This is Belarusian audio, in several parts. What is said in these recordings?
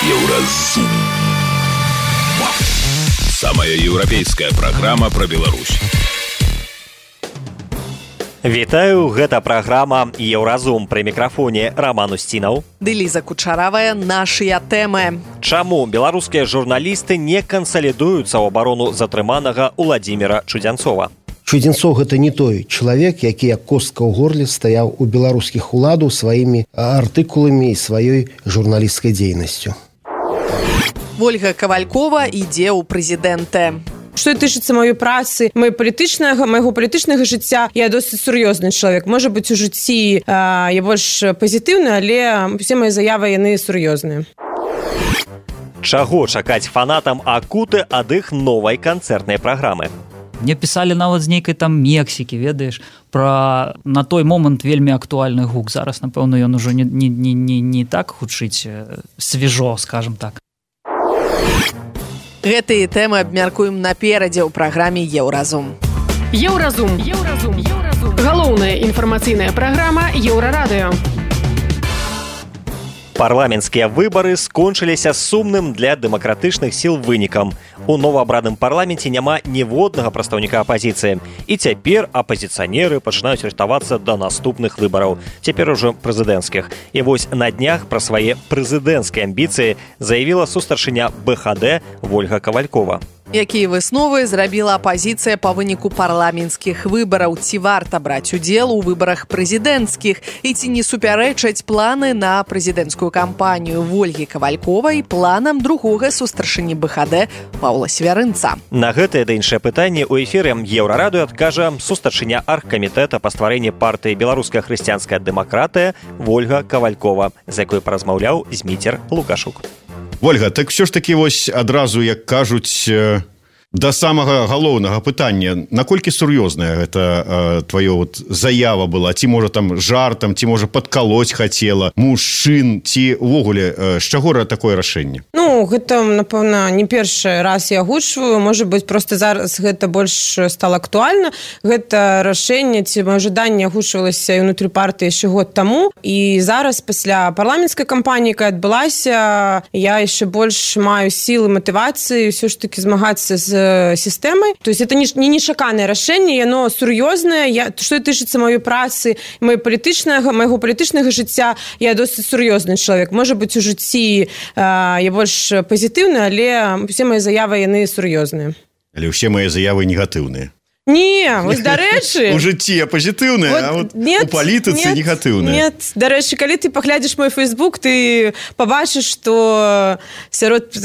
Еўразум. Самая еўрапейская праграма пра Беларусь. Вітаю, гэта праграма «Еўразум». Пры мікрафоне Роман Устінаў. Ды Ліза Кучаравая, нашыя тэмы. Чаму беларускія журналісты не кансалідуюцца ў абарону затрыманага Уладзіміра Чудзянцова? Чудзянцоў гэта не той чалавек, які як костка ў горле стаяў у беларускіх уладаў сваімі артыкуламі і сваёй журналісцкай дзейнасцю. Ольга Кавалькова ідзе ў прэзідэнты. Што тычыцца маёй працы, майго палітычнага жыцця, я досыць сур'ёзны чалавек. Можа быць, у жыцці я больш пазітыўны, але усе мае заявы, яны сур'ёзныя. Чаго чакаць фанатам Акуты ад іх новай канцэртнай праграмы? Мне пісалі нават з нейкай там Мексікі, ведаеш, пра на той момант вельмі актуальны гук. Зараз, напэўна, ён ужо не так гучыць свежо, скажам так. Гэтыя тэмы абмяркуем наперадзе ў праграме «Еўразум». «Еўразум». Галоўная інфармацыйная праграма «Еўрарадыё». Парламенцкія выбары скончыліся сумным для дэмакратычных сіл вынікам. У новаабраным парламенце няма ніводнага прадстаўніка апазіцыі. І цяпер апазіцыянеры пачынаюць рыхтавацца да наступных выбараў, цяпер ужо прэзідэнцкіх. І вось на днях пра свае прэзідэнцкія амбіцыі заявіла сустарчыня БХД Ольга Кавалькова. Якія высновы зрабіла апазіцыя па выніку парламенцкіх выбараў? Ці варта браць удзел у выбарах прэзідэнцкіх? І ці не супярэчаць планы на прэзідэнцкую кампанію Ольгі Кавальковай планам другога сустарчыні БХД Паўла Свярынца? На гэтае да іншае пытанне ў эфіры Еўрарадыё адкажа сустарчыня аргкамітэта па стварэнні партыі «Беларуская хрысціянская дэмакратыя» Ольга Кавалькова, з якой паразмаўляў Зміцер Лукашук. Ольга, так все ж таки вось адразу, як кажуць, да самага галоўнага пытання, наколькі сур'ёзная гэта твоё заява была? Ці можа там жартам, ці можа падкалоць хацела мужчын, ці ўвогуле з чаго такое рашэнне? Ну, гэта, напэўна, не першы раз я агучваю, можа быць, проста зараз гэта больш стала актуальна. Гэта рашэнне ці маё жаданне агучвалася ўнутры партыі яшчэ год таму, і зараз пасля парламенцкай кампаніі, якая адбылася, я яшчэ больш маю сілы, матывацыі ўсё ж такі змагацца з сістэмай. То есть это не нечаканае рашэнне, яно сур'ёзнае. Што тычыцца маёй працы, майго палітычнага жыцця, я досыць сур'ёзны чалавек. Можа быць, у жыцці я больш пазітыўны, але усе мае заявы, яны сур'ёзныя. Але ўсе мае заявы негатыўныя? Не, вось, дарэчы... У жыцці я пазітыўная, а у палітыцы негатыўная. Нет, дарэчы, калі ты паглядзіш мой фейсбук, ты пабачыш, што сярод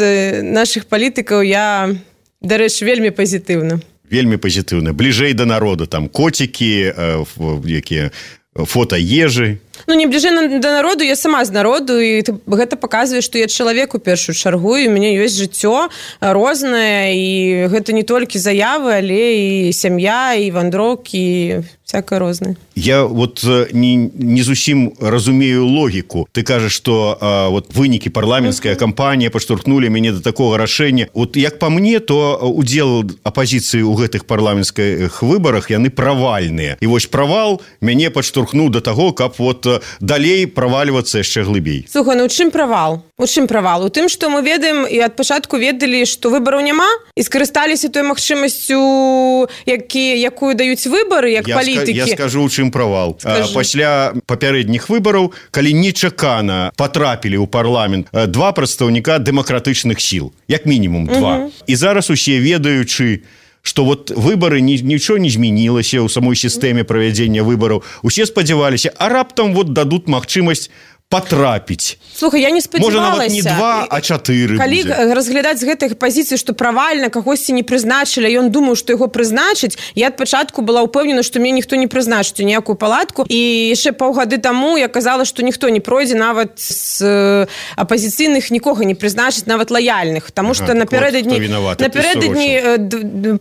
нашых палітыкаў я... Дарэчы, вельмі пазітыўна. Вельмі пазітыўна. Бліжэй да народа, там коцікі, якія фота ежы. Ну, не бліжэй да народу, я сама з народу, і гэта паказвае, што я чалавек у першую чаргу, і у мяне ёсць жыццё рознае, і гэта не толькі заявы, але і сям'я, і вандроўкі, і всякае рознае. Я не зусім разумею логіку. Ты кажаш, што вынікі парламенцкая кампанія падштурхнулі мяне да такога рашэння. Як па мне, то удзел апазіцыі ў гэтых парламенцкіх выбарах, яны правальныя. І вось правал мяне падштурхнуў да таго, каб далей правальвацца яшчэ глыбей. Слухай, ну у чым правал? У чым правал? У тым, што мы ведаем і ад пачатку ведалі, што выбараў няма, і скарысталіся той магчымасцю, якую даюць выбары, як палітыкі. Я скажу, у чым правал. Пасля папярэдніх выбараў, калі нечакана патрапілі ў парламент два прадстаўніка дэмакратычных сіл, як мінімум два. І зараз усе ведаючы, што выбары нічого не змянілася ў самой сістэме правядзення выбараў. Усе спадзяваліся, а раптам дадуць магчымасць патрапіць. Слухай, я не спадзявалася. Можа, нават не 2, а 4 Калі будзе. разглядаць з гэтай пазіцыі, што правальна кагосьці не прызначылі, ён думаў, што яго прызначыць, я ад пачатку была ўпэўнена, што мне ніхто не прызначыць у ніякую палатку, і яшчэ паўгады таму я казала, што ніхто не пройдзе, нават з апазіцыйных нікога не прызначыць, нават лаяльных, таму што напярэдадні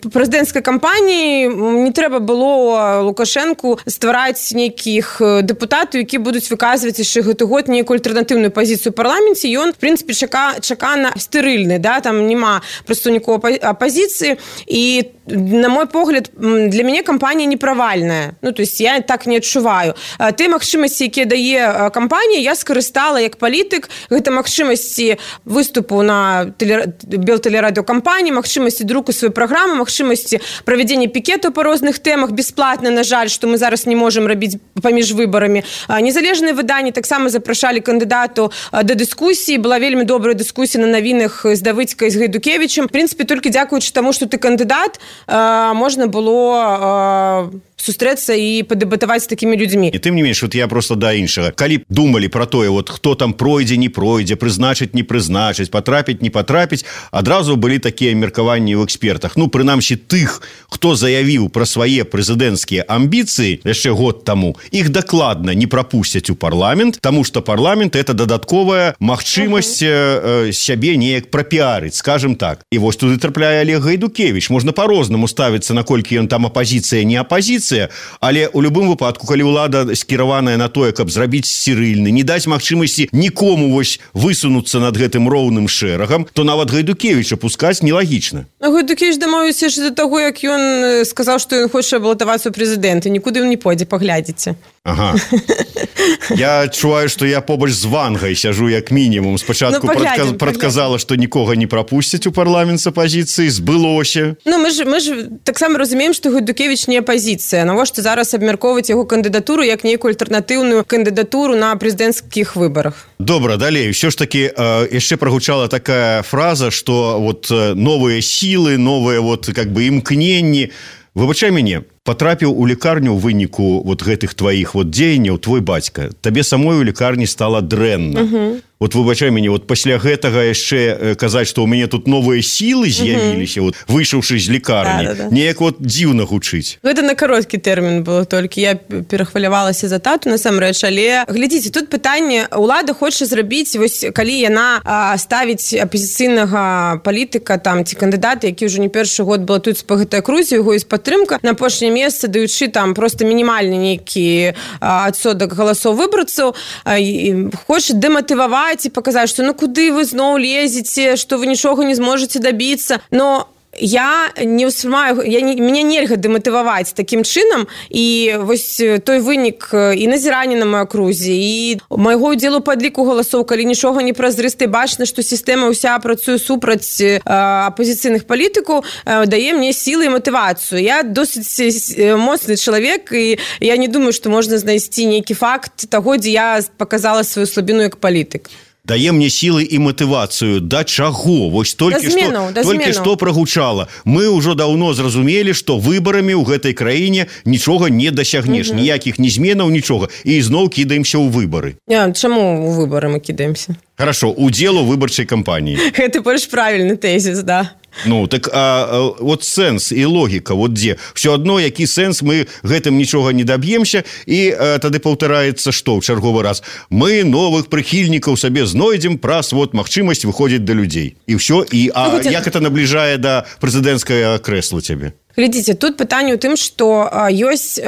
прэзідэнцкай кампаніі не трэба было Лукашэнку ствараць нейкіх дэпутатаў, які будуць выказваць яшчэ гэты год штогод нейкую альтэрнатыўную пазіцыю ў парламенце, ён, в прынцыпе, чакана стэрыльны, да, там няма прадстаўнікоў апазіцыі, і на мой погляд, для мяне кампанія не правальная. Ну, то есть я так не адчуваю. Тыя магчымасці, якія дае кампанія, я скарыстала як палітык. Гэта магчымасці выступу на белтэлерадыёкампаніі, магчымасці друку сваёй праграмы, магчымасці правядзення пікетаў па розных тэмах бясплатна, на жаль, што мы зараз не можам рабіць паміж выбарамі. Незалежныя выданні таксама запрашалі кандыдату да дыскусіі. Была вельмі добрая дыскусія на навінах з Давыдзькай, з Гайдукевічам. В прынцыпе, толькі дзякуючы таму, што ты кандыдат, можна было сустрэцца і падэбатаваць з такімі людзьмі. І тым не менш, вот я просто да іншага. Калі б думалі пра тое, вот хто там пройдзе, не пройдзе, прызначыць, не прызначыць, патрапіць, не патрапіць, адразу былі такія меркаванні ў экспертах. Ну, прынамсі, тых, хто заявіў пра свае прэзідэнцкія амбіцыі яшчэ год таму, іх дакладна не прапусцяць у парламент, таму што парламент – это дадатковая магчымасць сябе неяк прапіарыць, скажем так. І вось туды трапляе Олег Гайдукевіч. Можна па-рознаму ставіцца, наколькі ён там апазіцыя, не апазіцыя, але ў любым выпадку, калі ўлада скіраваная на тое, каб зрабіць сцірыльны, не даць магчымасці нікому вось высунуцца над гэтым роўным шэрагам, то нават Гайдукевіча пускаць нелагічна. Гайдукевіч дамовіўся ж да таго, як ён сказаў, што ён хоча балатавацца ў прэзідэнты. Нікуды ён не пойдзе, паглядзіце. Ага. Я адчуваю, што я побач з Вангай сяжу як мінімум. Спачатку прадказала, што нікога не прапусцяць у парламент з апазіцыі, збылося. Ну, мы ж таксама разумеем, што Гайдукевіч не апазіцыя. Навошта зараз абмяркоўваць яго кандыдатуру як нейкую альтэрнатыўную кандыдатуру на прэзідэнцкіх выбарах? Добра, далей. Ўсё ж такі яшчэ прагучала такая фраза, што вот новыя сілы, новыя вот как бы імкненні. Выбачай мяне, патрапіў у лекарню ў выніку вот гэтых тваіх вот дзеянняў твой бацька. Табе самой у лекарні стала дрэнна. Вот выбачай мяне, вот пасля гэтага яшчэ казаць, што ў мяне тут новыя сілы з'явіліся, вот, выйшаўшы з лекарні. Неяк вот дзіўна гучыць. Гэта на кароткі тэрмін было толькі. Я перахвалявалася за тату, насамрэч, але глядзіце, тут пытанне, улада хоча зрабіць, вось калі яна ставіць апазіцыйнага палітыка там ці кандыдата, які ўжо не першы год балатуецца па гэтай акрузе, яго ёсць падтрымка, на апошняе месца даючы там проста мінімальны нейкі адсотак галасоў выбарцаў, хоча дэматываваць і паказаць, што ну куды вы зноў лезеце, што вы нічога не зможаце дабіцца. Но я не ўспрымаю, мяне нельга дэматываваць такім чынам, і вось той вынік і назірання на маёй акрузе, і майго ўдзелу падліку галасоў, калі нічога не празрыста, бачна, што сістэма ўся працуе супраць апазіцыйных палітыкаў, дае мне сілы і матывацыю. Я досыць моцны чалавек, і я не думаю, што можна знайсці нейкі факт таго, дзе я паказала сваю слабіну як палітык. Дае мне сілы і матывацыю. Да чаго? Вось толькі што прагучала. Мы ўжо даўно зразумелі, што выбарамі ў гэтай краіне нічога не дасягнеш. Ніякіх ні зменаў, нічога. І зноў кідаемся ў выбары. Чаму ў выбары мы кідаемся? Хорошо, удзел у выбарчай кампаніі. Гэта больш правільны тэзіс, да. Ну, так вот сэнс і логіка, вот дзе. Все адно, які сэнс, мы гэтым нічога не даб'емся, і тады паўтараецца што ў чарговы раз? Мы новых прыхільнікаў сабе знойдзем праз вот магчымасць выходзіць да людзей. І ўсё, і як это набліжае да прэзідэнцкага крэсла цябе? Глядзіце, тут пытанне ў тым, што ёсць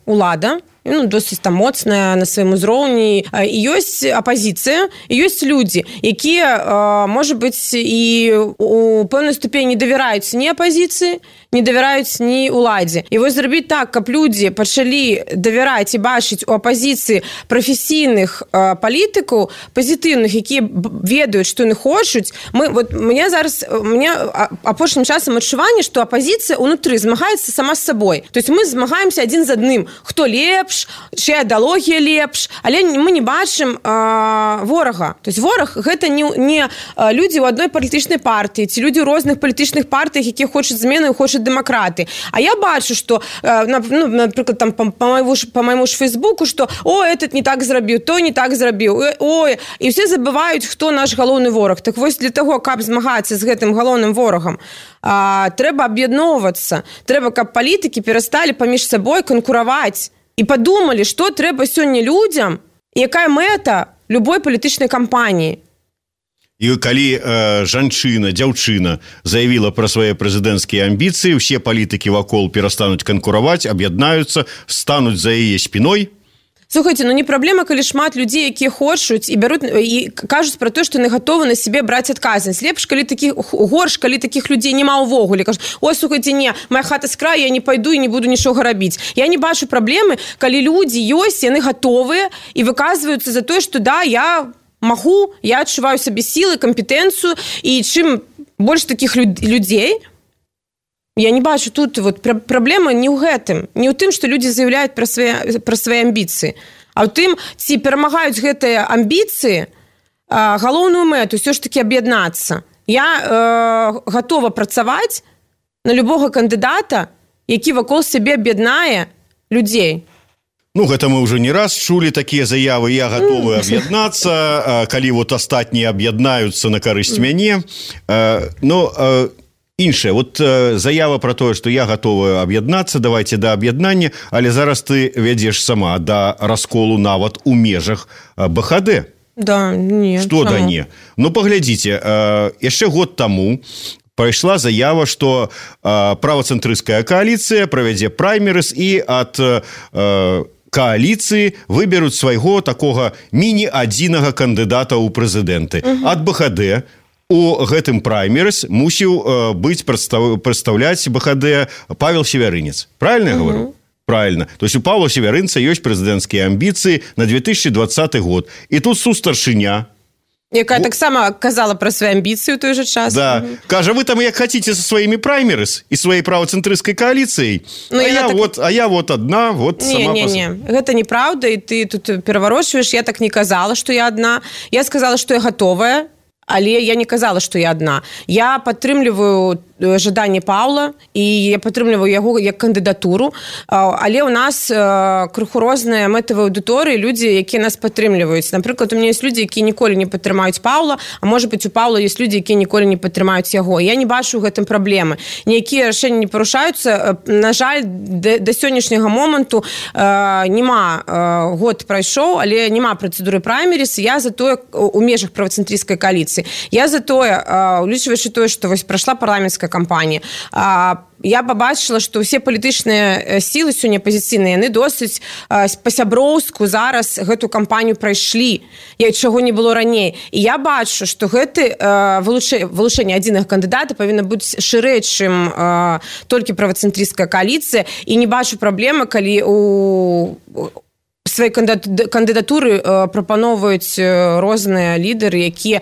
улада, ну, досыць там моцная на сваім узроўні, і ёсць апазіцыя, і ёсць людзі, якія, можа быць, і у пэўнай ступені не давяраюць ні апазіцыі, не давяраюць ні уладзе. І вось зрабіць так, каб людзі пачалі давяраць і бачыць у апазіцыі прафесійных палітыкаў, пазітыўных, якія ведаюць, што яны хочуць. Мне апошнім часам адчуванне, што апазіцыя ўнутры змагаецца сама з сабой. То есть мы змагаемся адзін з адным. Хто лепш, чыя ідэалогія лепш, але мы не бачым ворага. То есть вораг гэта не людзі ў адной палітычнай партыі, ці людзі ў розных палітычных партыях, якія хочуць змены і хочуць дэмакраты. А я бачу, што, напрыклад, там па майму ж Фейсбуку, што этот не так зрабіў, той не так зрабіў, і ўсе забываюць, хто наш галоўны вораг. Так вось для таго, каб змагацца з гэтым галоўным ворагам, трэба аб'ядноўвацца. Трэба, каб палітыкі перасталі паміж сабой канкураваць і падумалі, што трэба сёння людзям, якая мэта любой палітычнай кампаніі. І калі жанчына, дзяўчына заявіла пра свае прэзідэнцкія амбіцыі, усе палітыкі вакол перастануць канкураваць, аб'яднаюцца, стануць за яе спіной. Слухайте, не праблема, калі шмат людзей, якія хочуць і бяруць і кажуць пра то, што яны гатовы на сябе браць адказнасць. Лепш, горш, калі такіх людзей няма ўвогуле. Кажуць, ой, слухайте, не, моя хата з краю, я не пайду і не буду нічога рабіць. Я не бачу праблемы, калі людзі ёсць, яны гатовыя і выказваюцца за тое, што да, я магу, я адчуваю сабе сілы, кампетэнцыю, і чым больш такіх людзей, я не бачу тут праблема не ў гэтым, не ў тым, што людзі заяўляюць пра свае амбіцыі, а ў тым, ці перамагаюць гэтыя амбіцыі галоўную мэту, ўсё ж такі аб'яднацца. Я гатова працаваць на любога кандыдата, які вакол сябе аб'яднае людзей. Гэта мы ўжо не раз чулі такія заявы, я гатовы аб'яднацца, калі астатнія аб'яднаюцца на карысць мяне. Іншае, заява пра тое, што я гатовы аб'яднацца, давайте да аб'яднання, але зараз ты вядзеш сама да расколу нават у межах БХД. Да, не. Што да не? Паглядзіце, яшчэ год таму прайшла заява, што правацэнтрысцкая кааліцыя правядзе праймерыз і ад кааліцыі выберуць свайго такога міні-адзінага кандыдата ў прэзідэнты. Ад БХД у гэтым праймерыз мусіў быць прадстаўляць БХД Павел Севярынец. Правильно я говорю? Правильно. То есть у Павла Севярынца ёсць прэзідэнцкія амбіцыі на 2020 год. І тут сустаршыня, якая таксама казала пра свае амбіцыі ў той жа час. Да. Кажа, вы там як хаціце са сваімі праймерыз і сваёй правацэнтрысцкай кааліцыяй, я одна, сама... Не, гэта неправда, і ты тут пераварочваеш. Я так не казала, што я адна. Я сказала, што я гатовая, але я не казала, што я адна. Я падтрымліваю жаданне Паўла, і я падтрымліваю яго як кандыдатуру, але ў нас крыху розныя мэтавыя аўдыторыі, людзі, якія нас падтрымліваюць. Напрыклад, у мяне ёсць людзі, якія ніколі не падтрымаюць Паўла, а можа быць, у Паўла ёсць людзі, якія ніколі не падтрымаюць яго. Я не бачу ў гэтым праблемы. Ніякія рашэнні не парушаюцца. На жаль, да сённяшняга моманту няма, год прайшоў, але няма працэдуры праймеріз. Я за тое у межах правацэнтрысцкай кааліцыі. Я за тое, улічваючы тое, што прайшла парламенцкая кампанія, я пабачыла, што ўсе палітычныя сілы сёння апазіцыйныя, яны досыць па-сяброўску зараз гэту кампанію прайшлі, чаго не было раней. І я бачу, што гэты вылучэнне адзінага кандыдата павінна быць шырэй, чым толькі правацэнтрысцкая кааліцыя, і не бачу праблемы, калі у свае кандыдатуры прапаноўваюць розныя лідары, якія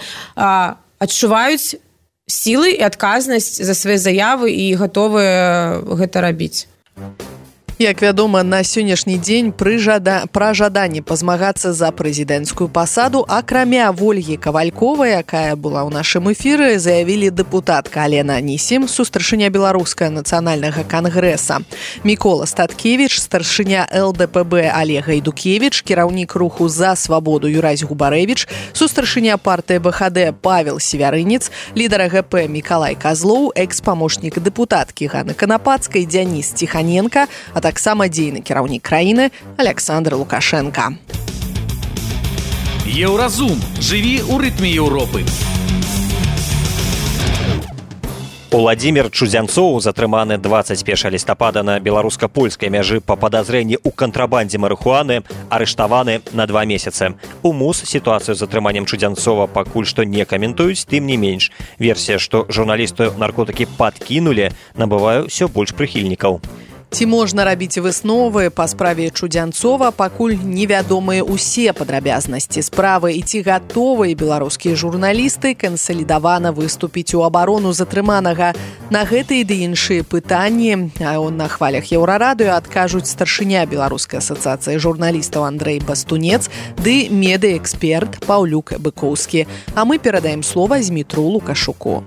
адчуваюць сілы і адказнасць за свае заявы і гатовыя гэта рабіць. Як вядома, на сённяшні дзень пра жаданне пазмагацца за прэзідэнцкую пасаду, акрамя Вольгі Кавальковай, якая была ў нашым эфіры, заявілі дэпутатка Алена Анісім, сустаршыня Беларускага нацыянальнага кангрэса, Мікола Статкевіч, старшыня ЛДПБ Олег Гайдукевіч, кіраўнік руху «За свабоду» Юрась Губарэвіч, сустаршыня партыі БХД Павел Севярынец, лідар АГП Мікалай Казлоў, экс-памочнік дэпутаткі Ганны Канапацкай Дзяніс Ціханенка, а таксама дзейны кіраўнік краіны Александр Лукашенко. Еўразум. Жыві ў рытме Еўропы. Уладзімір Чудзянцоў, затрыманы 21 лістапада на беларуска-польскай мяжы па падазрэнні ў кантрабандзе марыхуаны, арыштаваны на 2 месяцы. У МУС сітуацыю з затрыманнем Чудзянцова пакуль што не каментуюць, тым не менш. Версія, што журналісту наркотыкі падкінулі, набывае ўсё больш прыхільнікаў. Ці можна рабіць высновы па справе Чудзянцова, пакуль невядомыя ўсе падрабязнасці справы, і ці гатовыя беларускія журналісты кансалідавана выступіць у абарону затрыманага. На гэтыя ды іншыя пытанні на хвалях Еўрарадыё адкажуць старшыня Беларускай асацыяцыі журналістаў Андрэй Бастунец ды медыэксперт Паўлюк Быкоўскі. А мы перадаем слова Змітру Лукашуку.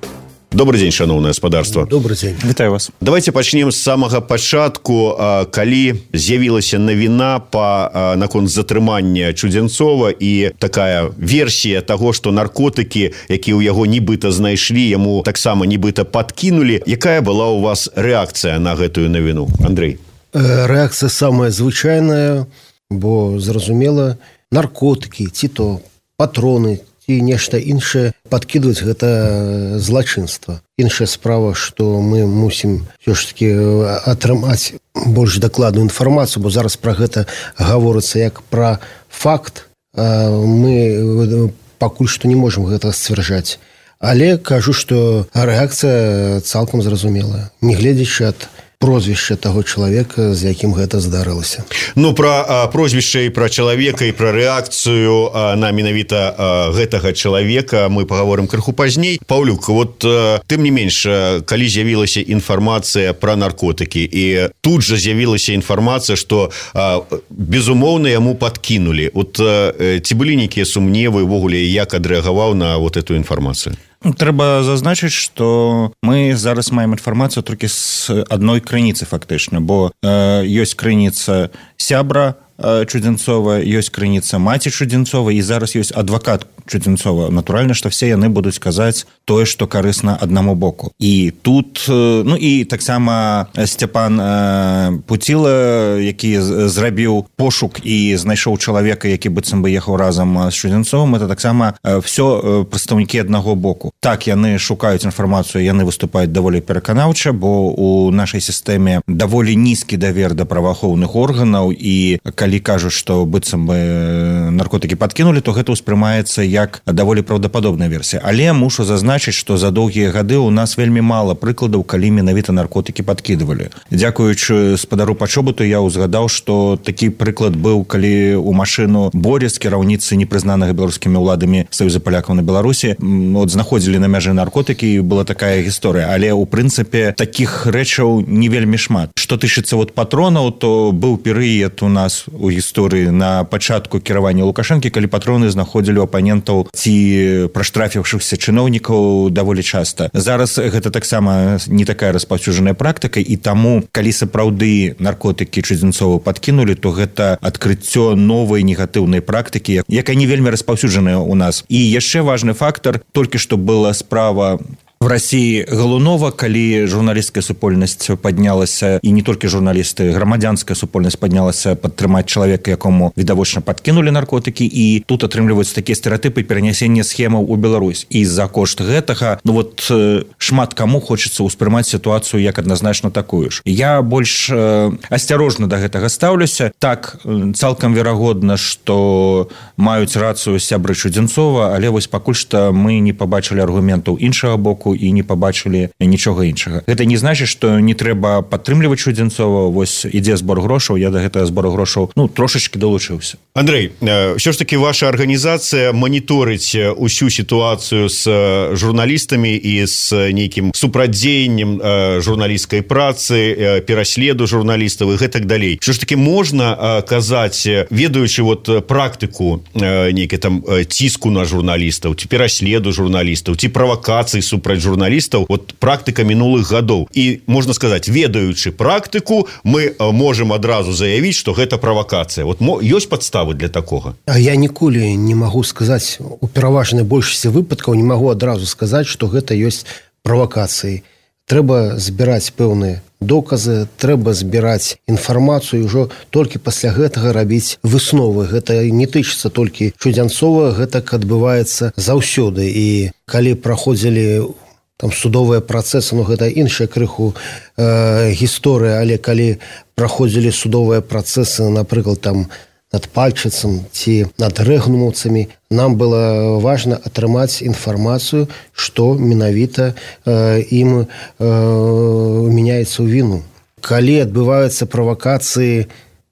Добрый день, шановное господарство. Добрый день. Вітаю вас. Давайте пачнем з самага пачатку, калі з'явілася навіна наконт затрымання Чудзянцова і такая версія таго, што наркотыкі, якія ў яго нібыта знайшлі, яму таксама нібыта падкінулі. Якая была у вас рэакцыя на гэтую навіну, Андрэй? Рэакцыя самая звычайная, бо, зразумела, наркотыкі, ці то патроны, ці нешта іншае падкідваць, гэта злачынства. Іншая справа, што мы мусім ўсё ж таки атрымаць больш дакладную інфармацыю, бо зараз пра гэта гаворыцца як пра факт. Мы пакуль што не можам гэта сцвярджаць. Але кажу, што рэакцыя цалкам зразумелая, не гледзячы ад прозвішча таго чалавека, з якім гэта здарылася. Ну, пра прозвішча і пра чалавека, і пра рэакцыю на менавіта гэтага чалавека мы пагаворым крыху пазней. Паўлюк, вот тым не менш, калі з'явілася інфармацыя пра наркотыкі, і тут жа з'явілася інфармацыя, што безумоўна яму падкінулі. Вот ці былі нейкія сумневы ўвогуле, як адрэагаваў на вот эту інфармацыю? Трэба зазначыць, што мы зараз маем інфармацыю толькі з адной крыніцы фактычна, бо ёсць крыніца сябра Чудзенцова, ёсць крыніца маці Чудзенцова, і зараз ёсць адвакат Чудзенцова. Натуральна, што все яны будуць казаць тое, што карысна аднаму боку. І тут, ну і таксама Сцяпан Пуціла, які зрабіў пошук і знайшоў чалавека, які быццам бы ехаў разам з Чудзенцовым, это таксама все прадстаўнікі аднаго боку. Так, яны шукаюць інфармацыю, яны выступаюць даволі пераканаўча, бо у нашай сістэме даволі нізкі давер да праваахоўных органаў, і калі кажуць, што быццам бы наркотыкі падкінулі, то гэта ўспрымаецца як даволі праўдападобная версія. Але мушу зазначыць, што за доўгія гады ў нас вельмі мала прыкладаў, калі менавіта наркотыкі падкідывалі. Дзякуючы спадару Пачобуту я ўзгадаў, што такі прыклад быў, калі ў машыну Борис, кіраўніцы непрызнанага беларускімі ўладамі Саюза палякаў на Беларусі, от знаходзілі на мяжы наркотыкі, і была такая гісторыя. Але ў прынцыпе такіх рэчаў не вельмі шмат. Што тычыцца вот патронаў, то быў перыяд у нас у гісторыі на пачатку кіравання Лукашэнкі, калі патроны знаходзілі ў апанентаў ці праштрафіўшыхся чыноўнікаў даволі часта. Зараз гэта таксама не такая распаўсюджаная практыка, і таму, калі сапраўды наркотыкі Чудзенцова падкінулі, то гэта адкрыццё новай негатыўнай практыкі, якая не вельмі распаўсюджаная ў нас. І яшчэ важны фактар, толькі што была справа в России Галунова, калі журналісцкая супольнасць паднялася, і не толькі журналісты, грамадзянская супольнасць паднялася падтрымаць чалавека, якому відавочна падкінулі наркотыкі, і тут атрымліваюцца такія стэрэатыпы перанясення схемаў у Беларусь. І за кошт гэтага, ну вот шмат каму хочацца ўспрымаць сітуацыю як адназначна такую ж. Я больш асцярожна да гэтага стаўлюся. Так, цалкам верагодна, што маюць рацыю сябры Чудзенцова, але вось пакуль што мы не пабачылі аргументаў іншага боку і не пабачылі нічога іншага. Гэта не значыць, што не трэба падтрымліваць Чудзенцова. Вось ідзе збор грошаў, я да гэтага збору грошаў трошачкі далучыўся. Андрэй, ўсё ж таки ваша арганізацыя маніторыць усю сітуацыю з журналістамі і з нейкім супрадзеяннем журналісцкай працы, пераследу журналістаў і гэтак далей. Ўсё ж таки можна казаць, ведаючы вот практыку нейкай там ціску на журналістаў, ці пераследу журналістаў, ці правакацыі супраць журналістаў, вот практыка мінулых гадоў. І, можна сказаць, ведаючы практыку, мы можем адразу заявіць, што гэта правакацыя. Вот ёсць падставы для такога? Я ніколі не магу сказаць, у пераважнай большасці выпадкаў не магу адразу сказаць, што гэта ёсць правакацыяй. Трэба збіраць пэўныя доказы, трэба збіраць інфармацыю, ўжо толькі пасля гэтага рабіць высновы. Гэта не тычыцца толькі Чудзенцова, гэтак адбываецца заўсёды. І калі праходзілі там судовыя працэсы, гэта іншая крыху гісторыя, але калі праходзілі судовыя працэсы, напрыклад, там над Пальчыцам ці над рэгнумаўцамі, нам было важна атрымаць інфармацыю, што менавіта ім мяняецца ў віну. Калі адбываюцца правакацыі,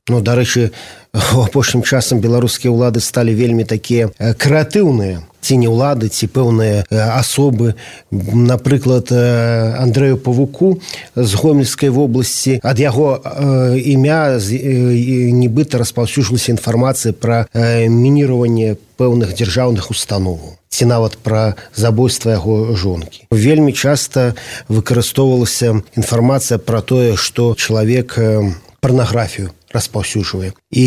дарэчы, у апошнім часам беларускія ўлады сталі вельмі такія крэатыўныя, ці не ўлады, ці пэўныя асобы. Напрыклад, Андрэю Павуку з Гомельскай вобласці, ад яго імя нібыта распаўсюджвалася інфармацыя пра мініраванне пэўных дзяржаўных установаў, ці нават пра забойства яго жонкі. Вельмі часта выкарыстоўвалася інфармацыя пра тое, што чалавек парнаграфію распаўсюджвае. І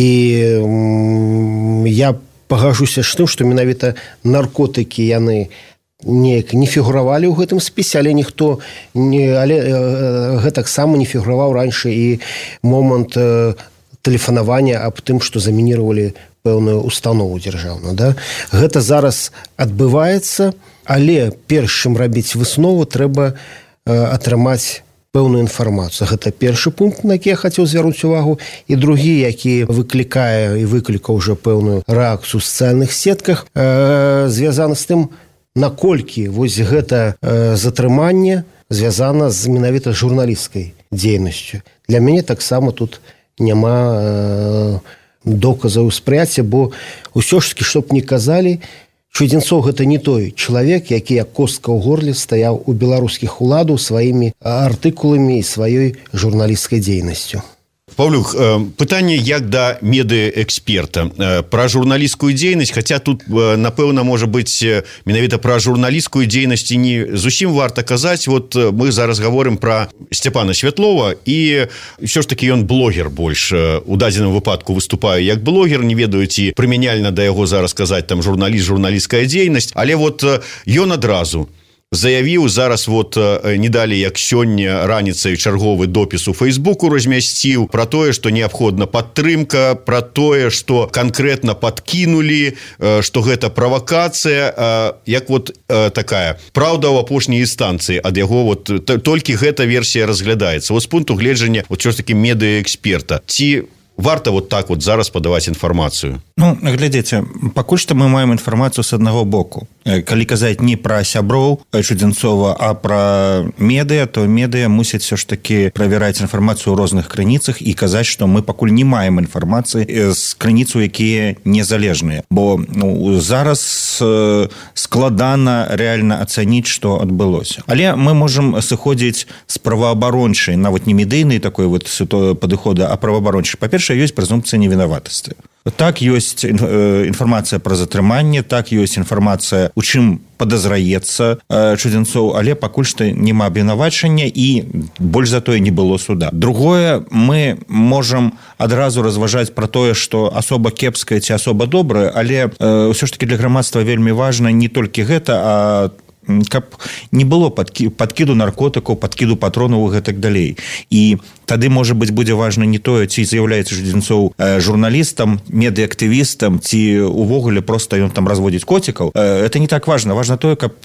я пагажуся з тым, што менавіта наркотыкі яны неяк не фігуравалі ў гэтым спісе, але ніхто гэтаксама не фігураваў раньше і момант тэлефанавання аб тым, што замініравалі пэўную установу дзяржаўную, да? Гэта зараз адбываецца, але перш чым рабіць выснову, трэба атрымаць пэўную інфармацыю. Гэта першы пункт, на які я хацеў звярнуць увагу, і другі, які выклікае і выклікаў уже пэўную рэакцыю ў сацыяльных сетках, звязаны з тым, наколькі вось гэта затрыманне звязана з менавіта журналісцкай дзейнасцю. Для мяне таксама тут няма доказаў спрыяцця, бо ўсё ж таки, што б не казалі, Чудзенцоў гэта не той чалавек, які як костка ў горле стаяў у беларускіх уладаў сваімі артыкуламі і сваёй журналісцкай дзейнасцю. Паўлюк, пытанне як да медыэксперта пра журналісцкую дзейнасць, хаця тут, напэўна, можа быць, менавіта пра журналісцкую дзейнасць не зусім варта казаць. Вот мы зараз гаворым пра Сцяпана Святлова, і ўсё ж такі ён блогер больш. У дадзеным выпадку выступае як блогер, не ведаю, ці прымяняльна да яго зараз казаць там журналіст, журналісцкая дзейнасць, але вот ён адразу заявіў, зараз вот не далі як сёння раніцай чарговы допіс у Фейсбуку размясціў пра тое, што неабходна падтрымка, пра тое, што канкрэтна падкінулі, што гэта правакацыя, як вот такая праўда ў апошняй інстанцыі ад яго, вот толькі гэта версія разглядаецца. Вот з пункту гледжання вот що ж такі медыэксперта. Ці варта вот так вот зараз падаваць інфармацыю? Ну, глядзіце, пакуль што мы маем інфармацыю з аднаго боку. Калі казаць не пра сяброў Чудзенцова, а пра медыа, то медыа мусяць все ж таки правяраць інфармацыю ў розных крыніцах і казаць, што мы пакуль не маем інфармацыі з крыніцаў, якія незалежныя. Бо зараз складана рэальна ацаніць, што адбылося. Але мы можам сыходзіць з праваабарончай, нават не медыйнай такой вот падыхода, а праваабарончай. Па-першае, ёсць прэзумпцыя невінаватасці. Так, ёсць інфармацыя пра затрыманне, так, ёсць інфармацыя, у чым падазраецца Чудзенцоў, але пакуль што няма абвінавачання і больш за тое не было суда. Другое, мы можам адразу разважаць пра тое, што асоба кепская ці асоба добрая, але ўсё ж таки для грамадства вельмі важна не толькі гэта, а каб не было падкіду наркотыкаў, падкіду патронаў і гэтак далей. І тады, можа быць, будзе важна не тое, ці з'яўляецца Чудзенцоў журналістам, медыактывістам, ці увогуле проста ён там разводзіць коцікаў. Это не так важна. Важна тое, каб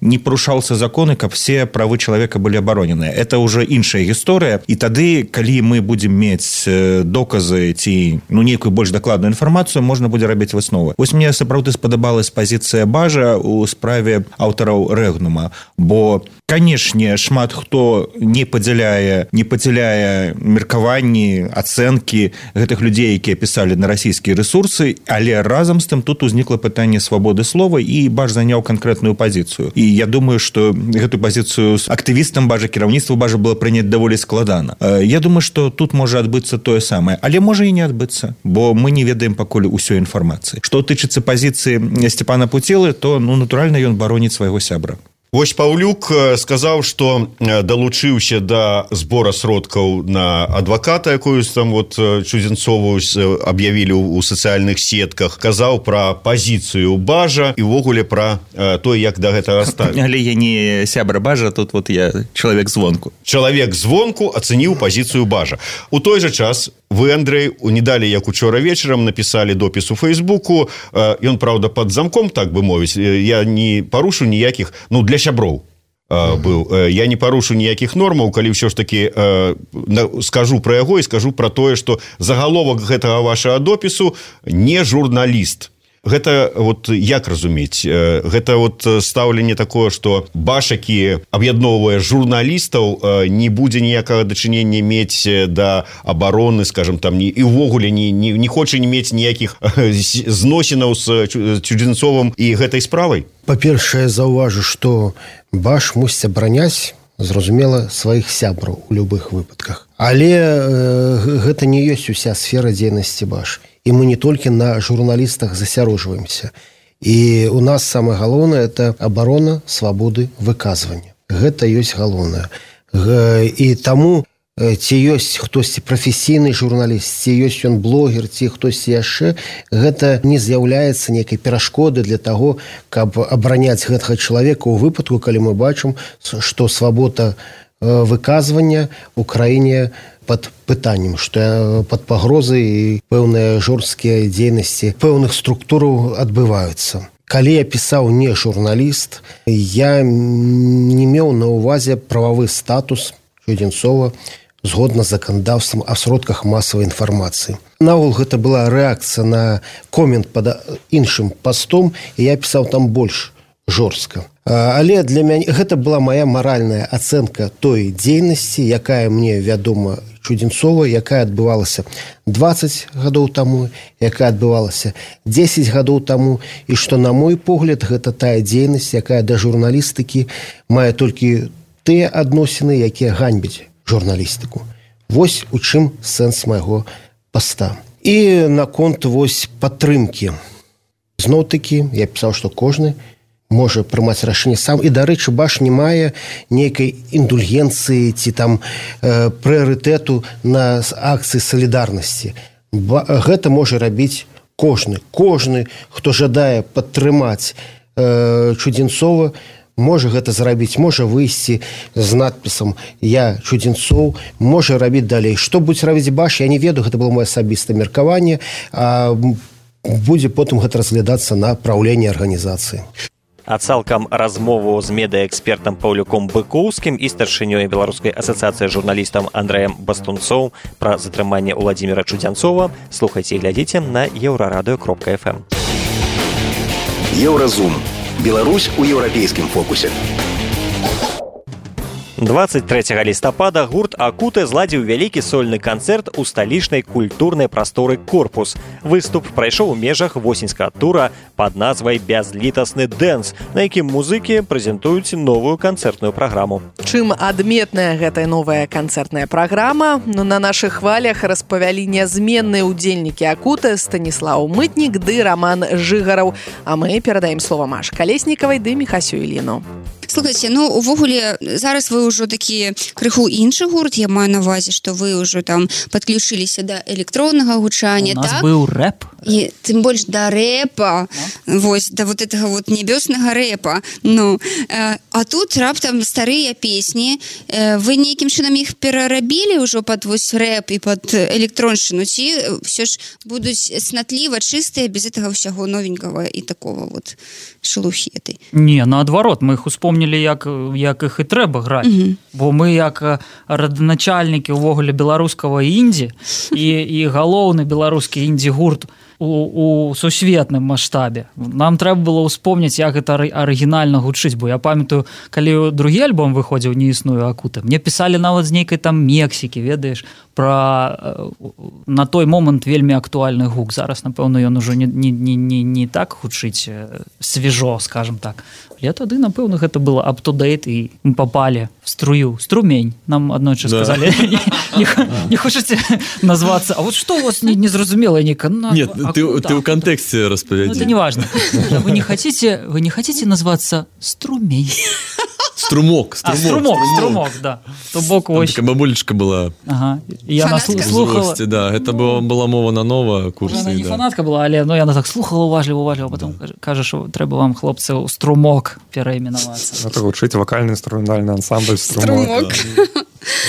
не парушаўся законы, каб все правы чалавека былі абароненыя. Это ўжо іншая гісторыя. І тады, калі мы будзем мець доказы ці нейкую больш дакладную інфармацыю, можна будзе рабіць высновы. Вось мне сапраўды спадабалась пазіцыя Бажа ў справе аўтараў Рэгнума, бо, канешне, шмат хто не падзяляе меркаванні, ацэнкі гэтых людзей, якія пісалі на расійскія рэсурсы, але разам з тым тут узнікла пытанне свабоды слова, і Баж заняў канкрэтную пазіцыю. І я думаю, што гэтую пазіцыю з актывістам Бажа, кіраўніцтва Бажа было прыняць даволі складана. Я думаю, што тут можа адбыцца тое самае, але можа і не адбыцца, бо мы не ведаем пакуль усёй інфармацыі. Што тычыцца пазіцыі Сцяпана Пуцелы, то, натуральна, ён бароніць свайго сябра. Вось Паўлюк сказаў, што далучыўся да збора сродкаў на адваката, якую там вот Чудзенцову аб'явілі ў сацыяльных сетках, казаў пра пазіцыю Бажа і ўвогуле пра то, як да гэтага ставіць. Але я не сябра Бажа, тут вот я чалавек звонку. Чалавек звонку ацэніў пазіцыю Бажа. У той жа час вы, Андрэй, не далі, як учора вечарам, напісалі допіс у Фейсбуку. Ён, праўда, пад замком, так бы мовіць. Я не парушу ніякіх, для сяброў быў. Я не парушу ніякіх нормаў, калі ўсё ж такі скажу пра яго і скажу пра тое, што загаловак гэтага вашага допісу не журналіст. Гэта вот як разумець? Гэта вот стаўленне такое, што Баж, які аб'ядноўвае журналістаў, не будзе ніякага дачынення мець да абароны, скажем, там, і ўвогуле не хоча не мець ніякіх зносінаў з Чудзенцовым і гэтай справай? Па-першае, заўважу, што Баж мусіць абараняць, зразумела, сваіх сябраў у любых выпадках. Але гэта не ёсць уся сфера дзейнасці Баж. І мы не толькі на журналістах засяроджваемся. І у нас самае галоўнае – это абарона свабоды выказвання. Гэта ёсць галоўнае. І таму ці ёсць хтосьці прафесійны журналіст, ці ёсць ён блогер, ці хтосьці яшчэ, гэта не з'яўляецца нейкай перашкоды для таго, каб абараняць гэтага чалавека ў выпадку, калі мы бачым, што свабода выказвання ў краіне пад пытаннем, што пад пагрозай і пэўныя жорсткія дзейнасці пэўных структураў адбываюцца. Калі я пісаў не журналіст, я не меў на ўвазе прававы статус Чудзенцова згодна з заканадаўствам о сродках масавай інфармацыі. Наогул гэта была рэакцыя на комент пад іншым пастом, і я пісаў там больш жорстка. Але для мяне гэта была моя маральная ацэнка той дзейнасці, якая мне вядома Чудзенцова, якая адбывалася 20 гадоў таму, якая адбывалася 10 гадоў таму, і што, на мой погляд, гэта тая дзейнасць, якая да журналістыкі мае толькі тыя адносіны, якія ганьбяць журналістыку. Вось у чым сэнс майго паста. І наконт вось падтрымкі. Зноў-такі я пісаў, што кожны можа прымаць рашэнне сам, і, дарэчы, баш не мае нейкай індульгенцыі ці там прыярытэту на акцыі салідарнасці. Гэта можа рабіць кожны, хто жадае падтрымаць Чудзенцова, можа гэта зрабіць, можа выйсці з надпісам «Я Чудзенцоў», можа рабіць далей. Што будзе рабіць баш, я не ведаю, гэта было маё асабістае меркаванне, а будзе потым гэта разглядацца на праўленне арганізацыі. А цалкам размову з медыаэкспертам Паўлюком Быкоўскім і старшынёй Беларускай асацыяцыі журналістам Андрэем Бастунцоў пра затрыманне Уладзіміра Чудзенцова слухайце і глядзіце на еўрарадыё.фм. Еўразум. Беларусь у еўрапейскім фокусе. 23 лістапада гурт «Акуте» зладзіў вялікі сольны канцэрт у сталічнай культурнай прасторы «Корпус». Выступ прайшоў у межах восеньскага тура пад назвай «Бязлітасны дэнс», на якім музыкі прэзентуюць новую канцэртную праграму. Чым адметная гэтая новая канцэртная праграма? На нашых хвалях распавялі нязменныя ўдзельнікі «Акуте» Станіслаў Мытнік ды Раман Жыгараў. А мы перадаем слова Маш Калеснікавай ды Міхасю Іліну. Слухайте, увогуле, зараз вы ўжо такі крыху іншы гурт, я маю на ўвазе, што вы ўжо там падключыліся да электроннага гучання, так? У нас так? быў рэп. І тым больш да рэпа, вось, да вот этого вот небёснага рэпа. А тут раптам старыя песні, вы нейкім чынам іх перарабілі ўжо пад вось рэп і пад электроншчыну, ці ўсё ж будуць снатліва, чыстыя, без этого ўсяго новенькага і такого вот шелухі этой? Не, наадварот, мы іх успомнілі, як іх і трэба граць. Бо мы як раданачальнікі ўвогуле беларускага індзі і галоўны беларускі індзі-гурт у сусветным маштабе. Нам трэба было ўспомніць, як гэта арыгінальна гучыць, бо я памятаю, калі другі альбом выходзіў «Не існую Акуты», мне пісалі нават з нейкай там Мексікі, ведаеш, пра на той момант вельмі актуальны гук. Зараз, напэўна, ён ужо не так гучыць свежо, скажем так. Але тады, напэўна, гэта было up-to-date, і мы попалі в струмень. Нам аднойчы сказалі, не хочаце назвацца, а вот што у вас незразумелае нейка? Нет, ты в контексте распавядзі. Это не важно. Вы не хотите назваться «Струмень»? Струмок, да. То бок ось. Такая бабулечка была. Ага. Я слухала. Да, это была мова на нова курсы. Она не фанатка была, але яна так слухала уважліва, потом кажа, што трэба вам, хлопцы, у «Струмок» перайменавацца. Это гучыць вакальна-інструментальны ансамбль «Струмок».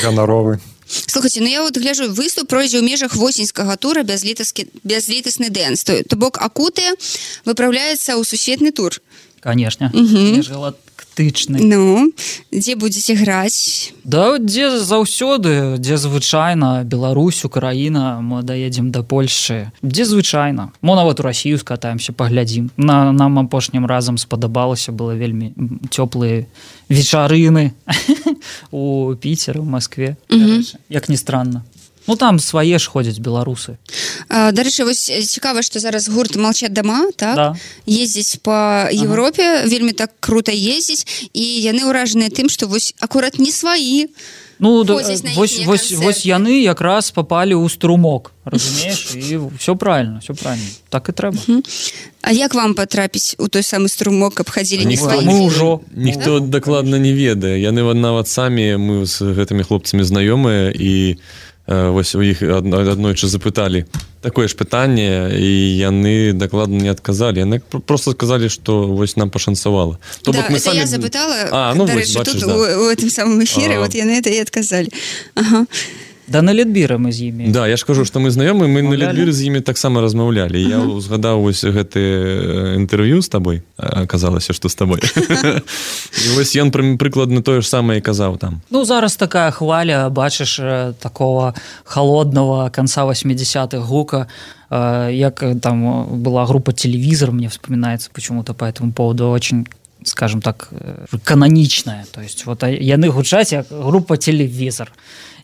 Ганаровы. Слухайте, я вот гляжу, выступ пройдзе ў межах восеньскага тура «Бязлітасны дэнс». То бок «Акуте» выпраўляецца ў сусветны тур. Конечно. Межгалактычны. Дзе будзеце граць? Да, дзе заўсёды, дзе звычайна. Беларусь, Украіна, мы даедзем да Польшчы. Дзе звычайна. Мо нават у Расію скатаемся, паглядзім. Нам апошнім разам спадабалася, было вельмі цёплыя вечарыны у Піцеры, у Маскве. Як ні странна. Там свае ж ходзяць беларусы. Дарэчы, вось цікава, што зараз гурт «Молчат дома», так? Да. Ездзіць па Еўропе, вельмі так крута ездзіць, і яны ўражаныя тым, што вось акурат не сваі. Вось яны якраз попалі ў «Струмок», разумееш? І все правильно. Так і трэба. А як вам патрапіць у той самы «Струмок», каб хадзілі не сваі? Мы ўжо. Ніхто дакладна не ведае. Яны нават самі, мы з гэтымі хлопцамі знаёмыя, і вось у іх аднойчы запыталі такое ж пытанне, і яны дакладна не адказалі. Яны просто сказалі, што вось нам пашанцавала. То да, это я запытала, дарэчы, тут у этом самом эфире, вот яны это і адказалі. Ага. Да на Літбіры мы з імі. Да, я ж кажу, што мы знаёмы, мы на Літбіры з імі таксама размаўлялі. Я згадаў вось гэты інтэрв'ю з табой, аказалася, што з табой. І вось ён прыкладна тое ж самае і казаў там. Ну, зараз такая хваля, бачыш, такого холодного конца 80-х гука, як там была группа «Телевизор», мне вспоминается почему-то по этому поводу очень, скажем так, каноничная. То есть вот яны гучаць як группа «Телевизор».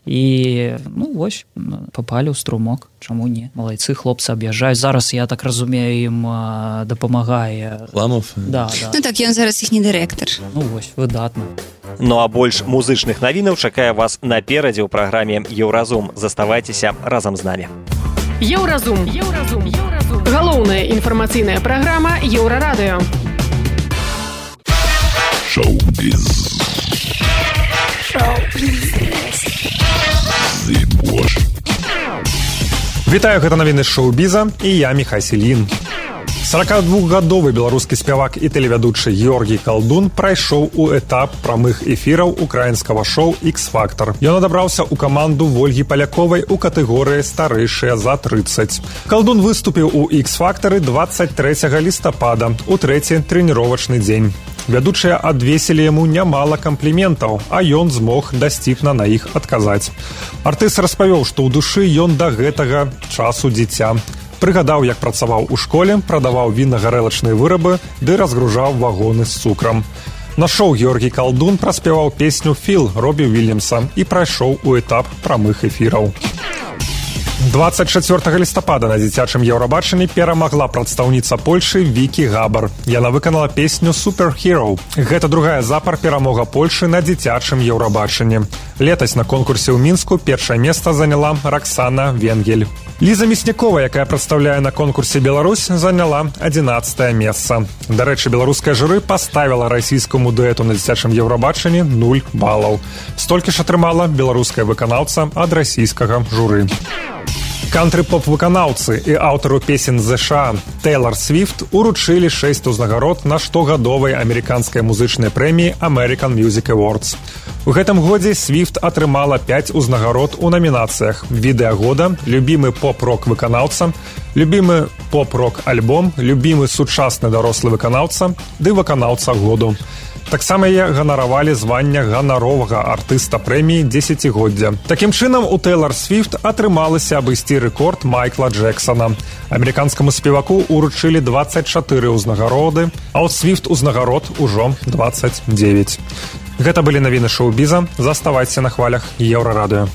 І, ну, вось, попалі ў струмок. Чаму не? Малайцы, хлопцы аб'язджаюць. Зараз, я так разумею, ім дапамагае... Ламов? Да, да. Ну так, ён зараз іхні дырэктар. Ну, вось, выдатна. Ну, а больш музычных навінаў чакае вас наперадзе ў праграме «Еўразум». Заставайцеся разам з намі. Еўразум. Галоўная інфармацыйная праграма Еўрарадыё. Шоу-біз. Вітаю, гэта навіны шоу-біза, і я Міхай Селін. 42-гадовы беларускі спявак і тэлевядучы Георгій Калдун прайшоў у этап прамых эфіраў украінскага шоу «Ікс-фактар». Ён адабраўся ў каманду Вольгі Паляковай у катэгорыі «Старэйшыя за 30». Калдун выступіў у «Ікс-фактары» 23 лістапада, у трэці трэніровачны дзень. Вядучыя адвесілі яму нямала кампліментаў, а ён змог дасціпна на іх адказаць. Артыст распавёў, што ў душы ён да гэтага часу дзіця. Прыгадаў, як працаваў у школе, прадаваў вінна-гарэлачныя вырабы ды разгружаў вагоны з цукрам. На шоу Георгій Калдун праспяваў песню «Філ» Робі Вільямса і прайшоў у этап прамых эфіраў. 24 лістапада на дзіцячым Еўрабачанні перамагла прадстаўніца Польшы Вікі Габар. Яна выканала песню «Superhero». Гэта другая запар перамога Польшы на дзіцячым Еўрабачанні. Летась на конкурсе ў Мінску першае месца заняла Раксана Венгель. Ліза Мяснякова, якая прадстаўляе на конкурсе Беларусь, заняла 11-е месца. Дарэчы, беларускае журы паставіла расійскаму дуэту на дзіцячым Еўрабачанні 0 балаў. Столькі ж атрымала беларуская выканаўца ад расійскага журы. Кантры-поп-выканаўцы і аўтару песен ЗША Тэйлар Свіфт уручылі 6 узнагарод на штогадовай амерыканскай музычнай прэміі American Music Awards. У гэтым годзе Свіфт атрымала 5 узнагарод у намінацыях: «Відэа года», «Любімы поп-рок выканаўца», «Любімы поп-рок альбом», «Любімы сучасны дарослы выканаўца» ды «Выканаўца году». Таксама яе ганаравалі звання ганаровага артыста прэміі дзесяцігоддзя. Такім чынам, у Тэйлар Свіфт атрымалася абысці рэкорд Майкла Джексона. Амерыканскаму спеваку уручылі 24 узнагароды, а ў Свіфт узнагарод ужо 29. Гэта былі навіны шоу-біза. Заставайцеся на хвалях Еўрарадыё.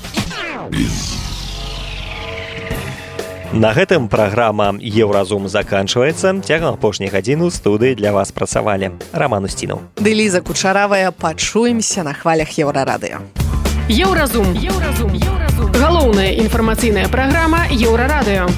На гэтым праграма «Еўразум» заканчваецца. Цягам апошняй гадзіны ў студыі для вас працавалі Раман Устінаў ды Ліза Кучаравая. Пачуемся на хвалях Еўрарадыё. Еўразум. Галоўная інфармацыйная праграма Еўрарадыё.